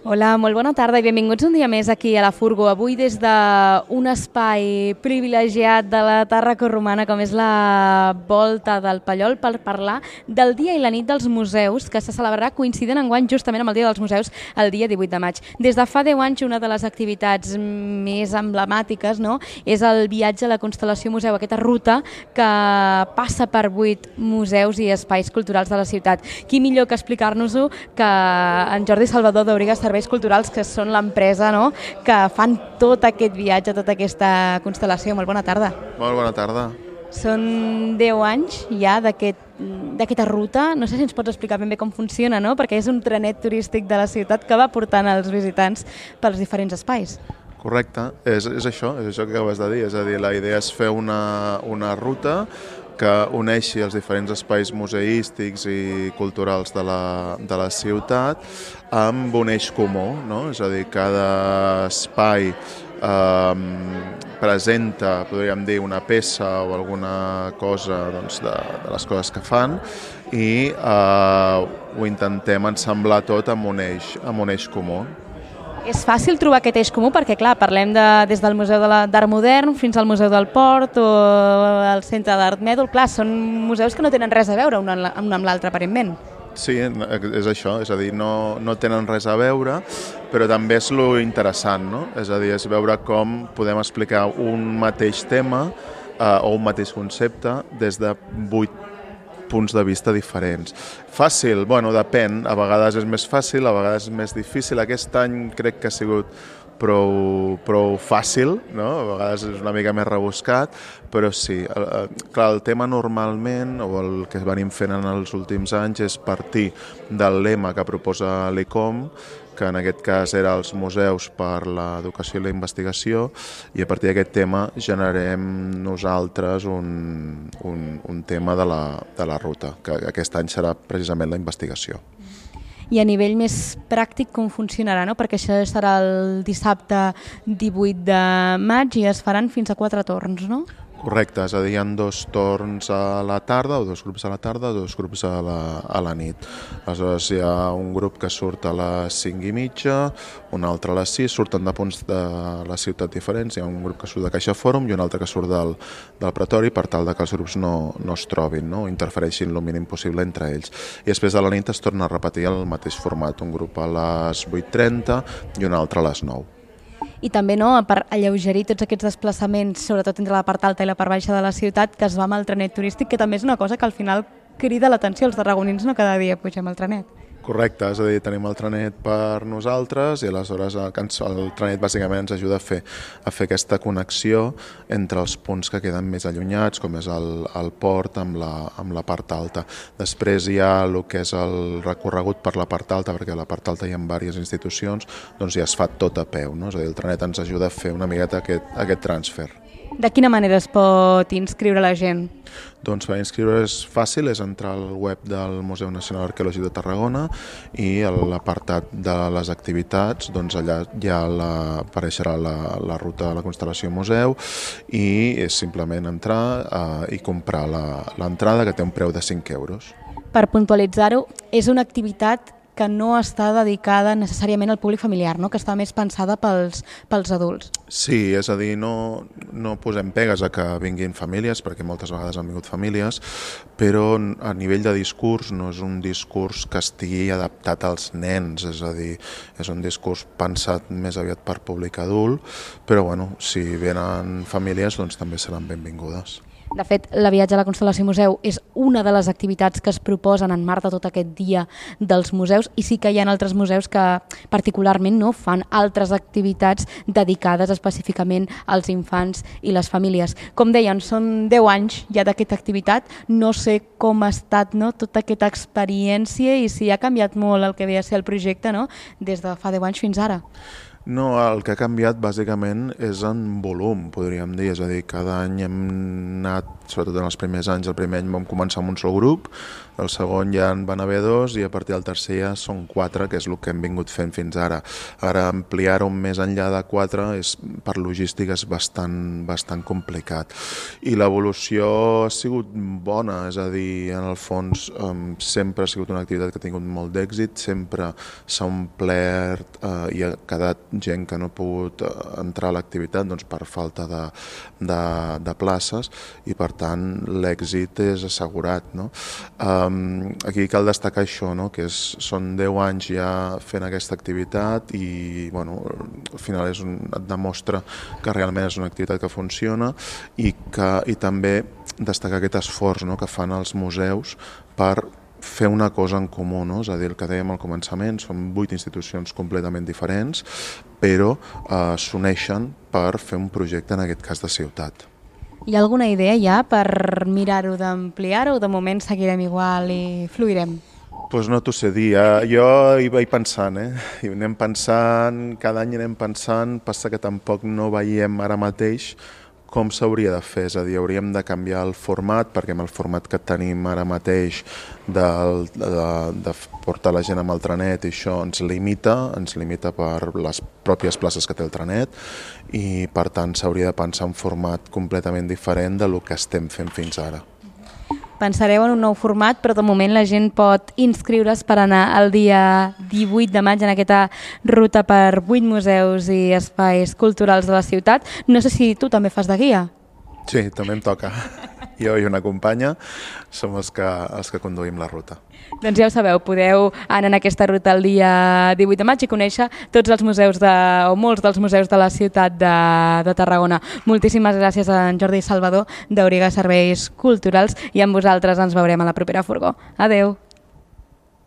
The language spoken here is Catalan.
Hola, molt bona tarda i benvinguts un dia més aquí a la Furgo. Avui des d'un espai privilegiat de la Tàrraco Romana com és la Volta del Pallol per parlar del Dia i la Nit dels Museus que se celebrarà coincidint enguany justament amb el Dia dels Museus el dia 18 de maig. Des de fa 10 anys una de les activitats més emblemàtiques és el viatge a la Constel·lació Museu, aquesta ruta que passa per 8 museus i espais culturals de la ciutat. Qui millor que explicar-nos-ho que en Jordi Salvador d'Auriga Serveis Culturals, que són l'empresa que fan tot aquest viatge, tota aquesta constel·lació. Molt bona tarda. Molt bona tarda. Són 10 anys ja d'aquesta ruta. No sé si ens pots explicar ben bé com funciona, perquè és un trenet turístic de la ciutat que va portant els visitants pels diferents espais. Correcte, és això que acabes de dir. És a dir, la idea és fer una ruta que uneixi els diferents espais museístics i culturals de la ciutat amb un eix comú, no? És a dir, cada espai presenta, podríem dir, una peça o alguna cosa de les coses que fan i ho intentem ensamblar tot amb un eix comú. És fàcil trobar aquest eix comú perquè, clar, parlem des del Museu d'Art Modern fins al Museu del Port o el Centre d'Art Mèdol. Clar, són museus que no tenen res a veure un amb l'altre, aparentment. Sí, és això, és a dir, no tenen res a veure, però també és lo interessant, no? És a dir, és veure com podem explicar un mateix tema o un mateix concepte des de 8 punts de vista diferents. Fàcil? Bueno, depèn. A vegades és més fàcil, a vegades és més difícil. Aquest any crec que ha sigut prou fàcil, no? A vegades és una mica més rebuscat, però sí. Clar, el tema normalment, o el que venim fent en els últims anys, és partir del lema que proposa l'ICOM, que en aquest cas era els museus per l'educació i la investigació, i a partir d'aquest tema generem nosaltres un tema de la ruta, que aquest any serà precisament la investigació. I a nivell més pràctic com funcionarà, perquè això serà el dissabte 18 de maig i es faran fins a 4 torns, no? Correcte, és a dir, hi ha 2 torns a la tarda, o 2 grups a la tarda, 2 grups a la nit. Aleshores hi ha un grup que surt a les 5:30, un altre a les 6, surten de punts de la ciutat diferents, hi ha un grup que surt de Caixa Fòrum i un altre que surt del Pretori per tal que els grups no es trobin, no interfereixin el mínim possible entre ells. I després a la nit es torna a repetir el mateix format, un grup a les 8:30 i un altre a les 9. I també per alleugerir tots aquests desplaçaments, sobretot entre la part alta i la part baixa de la ciutat, que es va amb el trenet turístic, que també és una cosa que al final crida l'atenció. Els tarragonins no cada dia pugem al trenet. Correcte, és a dir, tenim el trenet per nosaltres i aleshores el trenet bàsicament ens ajuda a fer aquesta connexió entre els punts que queden més allunyats, com és el port amb la part alta. Després hi ha el que és el recorregut per la part alta, perquè a la part alta hi ha diverses institucions, doncs ja es fa tot a peu, no? És a dir, el trenet ens ajuda a fer una miqueta aquest transfer. De quina manera es pot inscriure la gent? Doncs per inscriure és fàcil, és entrar al web del Museu Nacional Arqueològic de Tarragona i a l'apartat de les activitats, doncs allà ja apareixerà la ruta de la Constel·lació Museu i és simplement entrar i comprar l'entrada, que té un preu de 5 euros. Per puntualitzar-ho, és una activitat que no està dedicada necessàriament al públic familiar, que està més pensada pels adults. Sí, és a dir, no posem pegues a que vinguin famílies, perquè moltes vegades han vingut famílies, però a nivell de discurs no és un discurs que estigui adaptat als nens, és a dir, és un discurs pensat més aviat per públic adult, però bueno, si venen famílies doncs també seran benvingudes. De fet, la viatge a la Constel·lació Museu és una de les activitats que es proposen en marc de tot aquest dia dels museus i sí que hi ha altres museus que particularment fan altres activitats dedicades específicament als infants i les famílies. Com deien, són 10 anys ja d'aquesta activitat, no sé com ha estat tota aquesta experiència i si ha canviat molt el que ve a ser el projecte des de fa 10 anys fins ara. No, el que ha canviat bàsicament és en volum, podríem dir. És a dir, cada any hem anat, sobretot en els primers anys, el primer any vam començar amb un sol grup, El segon ja en van haver 2 i a partir del tercer ja són 4, que és el que hem vingut fent fins ara. Ara ampliar-ho més enllà de 4 per logística és bastant complicat. I l'evolució ha sigut bona, és a dir, en el fons sempre ha sigut una activitat que ha tingut molt d'èxit, sempre s'ha omplert i ha quedat gent que no ha pogut entrar a l'activitat per falta de places i per tant l'èxit és assegurat. No? Aquí cal destacar això, no? Que són 10 anys ja fent aquesta activitat i al final et demostra que realment és una activitat que funciona i també destacar aquest esforç, no? Que fan els museus per fer una cosa en comú, no? És a dir, el que dèiem al començament, són 8 institucions completament diferents, però s'uneixen per fer un projecte, en aquest cas de ciutat. Hi ha alguna idea ja per mirar-ho d'ampliar-ho o de moment seguirem igual i fluirem? Doncs no t'ho sé dir, jo hi vaig pensant, i anem pensant, cada any anem pensant, passa que tampoc no veiem ara mateix com s'hauria de fer, és a dir, hauríem de canviar el format, perquè amb el format que tenim ara mateix de portar la gent amb el trenet i això ens limita per les pròpies places que té el trenet i per tant s'hauria de pensar un format completament diferent del que estem fent fins ara. Pensareu en un nou format, però de moment la gent pot inscriure's per anar el dia 18 de maig en aquesta ruta per 8 museus i espais culturals de la ciutat. No sé si tu també fas de guia. Sí, també em toca. Jo i una companya som els que conduïm la ruta. Doncs ja ho sabeu, podeu anar en aquesta ruta el dia 18 de maig i conèixer tots els museus o molts dels museus de la ciutat de Tarragona. Moltíssimes gràcies a en Jordi Salvador d'Auriga Serveis Culturals i amb vosaltres ens veurem a la propera furgó. Adeu!